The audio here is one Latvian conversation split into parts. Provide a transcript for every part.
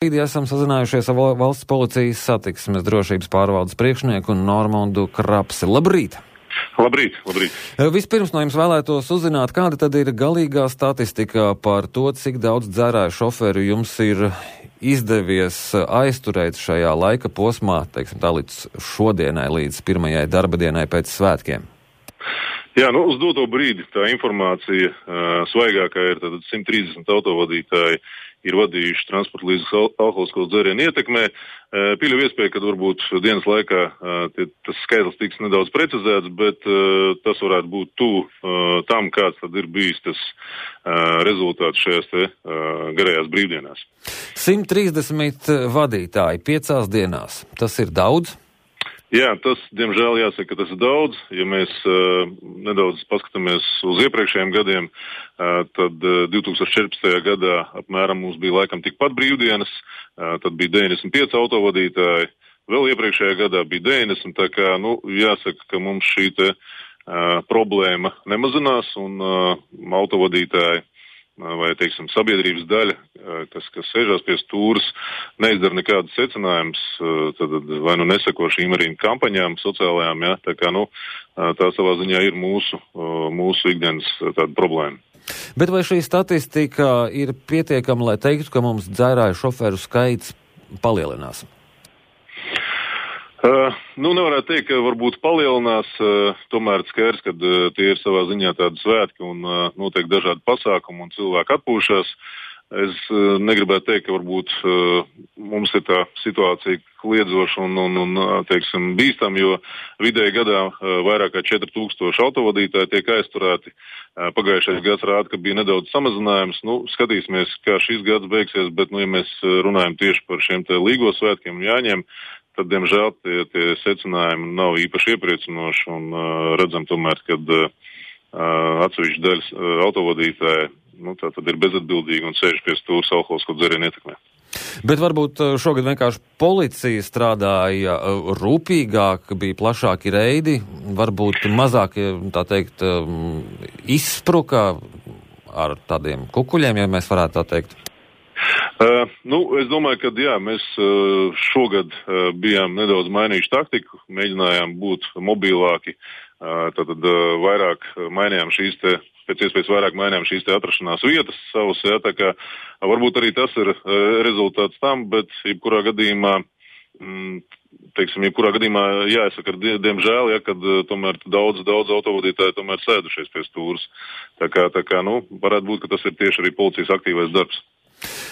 Esam sazinājušies ar valsts policijas satiksmes drošības pārvaldes priekšnieku Normandu Krapsi. Labrīt! Labrīt, labrīt. Vispirms no jums vēlētos uzzināt, kāda tad ir galīgā statistika par to, cik daudz dzērāju šoferu jums ir izdevies aizturēt šajā laika posmā, teiksim tā, līdz šodienai, līdz pirmajai darba dienai pēc svētkiem. Jā, uz doto brīdi tā informācija svaigākā ir tad 130 autovadītāji ir vadījuši transporta līdzekļus alkoholisko dzērienu ietekmē. Pieļauju iespēju, ka varbūt dienas laikā tas skaitlis tiks nedaudz precizēts, bet tas varētu būt tuvu tam, kāds tad ir bijis tas rezultāts šajās te garajās brīvdienās. 130 vadītāji 5 dienās. Tas ir daudz? Jā, tas, diemžēl, jāsaka, ka tas ir daudz. Ja mēs nedaudz paskatāmies uz iepriekšējiem gadiem, tad 2014. gadā apmēram mums bija laikam tikpat brīvdienas, tad bija 95 autovadītāji, vēl iepriekšējā gadā bija 90, tā kā, jāsaka, ka mums šī te problēma nemazinās un autovadītāji vai, teiksim, sabiedrības daļa, kas sēžās pie stūras, neizdara nekādas secinājumus, tad vai neseko šīm arī kampaņām sociālajām, jā, tā kā, tā savā ziņā ir mūsu ikdienas tāda problēma. Bet vai šī statistika ir pietiekama, lai teiktu, ka mums dzērāju šoferu skaits palielinās? Nevarētu teikt, ka varbūt palielinās, tomēr skaidrs, ka tie ir savā ziņā tādi svētki un notiek dažādi pasākumi un cilvēki atpūšas. Es negribētu teikt, ka varbūt mums ir tā situācija kliedzoša un teiksim, bīstam, jo vidēji gadā vairāk kā 4000 autovadītāji tiek aizturēti. Pagājušais gads rāda, ka bija nedaudz samazinājums. Skatīsimies, kā šis gads beigsies, bet, ja mēs runājam tieši par šiem te līgo svētkiem un jāņem, tad, diemžēl, tie secinājumi nav īpaši iepriecinoši un redzam tomēr, kad atsevišķi daļas autovadītāji tā tad ir bezatbildīgi un sēž pie stūras alkoholisko dzērienu ietekmē. Bet varbūt šogad vienkārši policija strādāja rūpīgāk, bija plašāki reidi, varbūt mazāk, tā teikt, izspruka ar tādiem kukuļiem, ja mēs varētu tā teikt. Es domāju, ka jā, mēs šogad bijām nedaudz mainījuši taktiku, mēģinājām būt mobilāki, tātad vairāk mainījām pēc iespējas vairāk mainījām šīs te atrašanās vietas savus, jā, tā kā varbūt arī tas ir rezultāts tam, bet jebkurā gadījumā, jāsaka, diemžēl, ja, kad tomēr daudz autovadītāji tomēr sēdušies pie stūras. Tā kā, varētu būt, ka tas ir tieši arī policijas aktīvais darbs.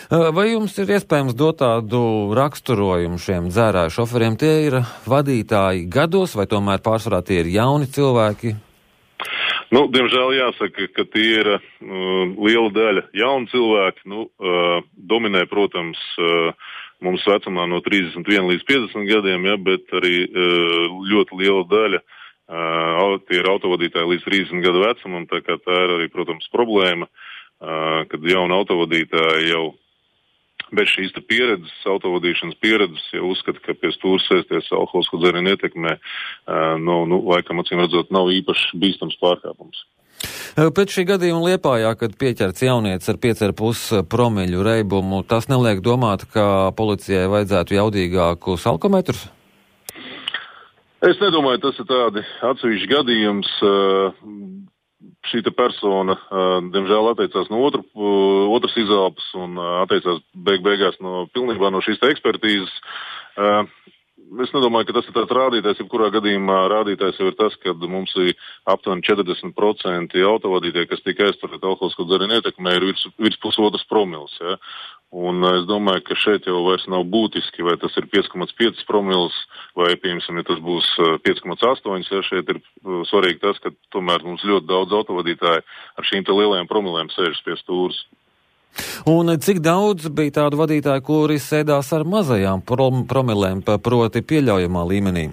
Vai jums ir iespējams dot tādu raksturojumu šiem dzērāju šoferiem? Tie ir vadītāji gados vai tomēr pārsvarā tie ir jauni cilvēki? Diemžēl jāsaka, ka tie ir liela daļa jauni cilvēki. Dominē, protams, mums vecumā no 31 līdz 50 gadiem, ja, bet arī ļoti liela daļa tie ir autovadītāji līdz 30 gadu vecumam, tā kā tā ir arī, protams, problēma, kad jauni autovadītāji jau bez šīs pieredzes, autovadīšanas pieredzes, jau uzskata, ka pie stūras sēsties alkoholisko dzērienu ietekmē, laikam, acīm redzot, nav īpaši bīstams pārkāpums. Pēc šī gadījuma Liepājā, kad pieķerts jaunietis ar 5,5 promīļu reibumu, tas neliek domāt, ka policijai vajadzētu jaudīgākus alkometrus? Es nedomāju, tas ir tādi atsevišķi gadījums. Šī persona, diemžēl, atteicās no otras izelpas un atteicās beigās pilnībā no šīs ekspertīzes. Es nedomāju, ka tas ir tāds rādītājs, jebkurā gadījumā rādītājs jau ir tas, ka mums ir aptuveni 40% autovadītāji, kas tika aizturēti alkoholisko dzērienu ietekmē, ir virs pusotras promils. Ja? Un es domāju, ka šeit jau vairs nav būtiski, vai tas ir 5,5 promils, vai, piemēram, ja tas būs 5,8, ja šeit ir svarīgi tas, ka tomēr mums ļoti daudz autovadītāji ar šīm te lielajām promilēm sēžas pie stūras. Un cik daudz bija tādu vadītāju, kuri sēdās ar mazajām promilēm, proti pieļaujamā līmenī?